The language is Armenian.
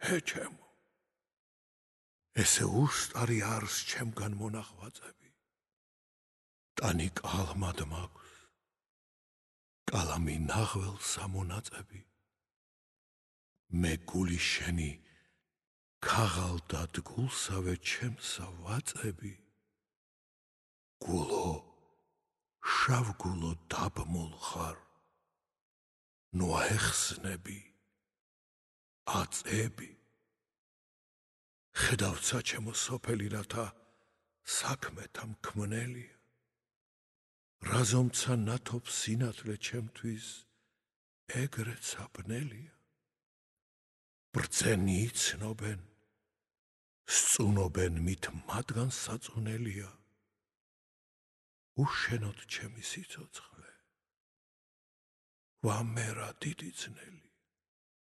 Հե չեմ, ես է ուշ տարի արս չեմ կան մոնախված էբի, տանի կալմա դմակուս, կալամի նախվել սամոնած էբի, մեկ գուլի շենի կաղալ դատ գուլ սավե չեմ սավված էբի, գուլո, շավ գուլո դապ մոլխար, նուահեղսն էբի, ած էբի, խդավցա չեմ սոպել իրաթա, սակ մետամ կմնելի, ռազոմցա նաթոպ սինատրե չեմ թույզ, էգրե ցապնելի, բրծենից նոբեն, Սծունոբեն միտ մատգան սածունելիա, ու շենոտ չեմի սիցոց խլե, վամերա դիդիցնելի։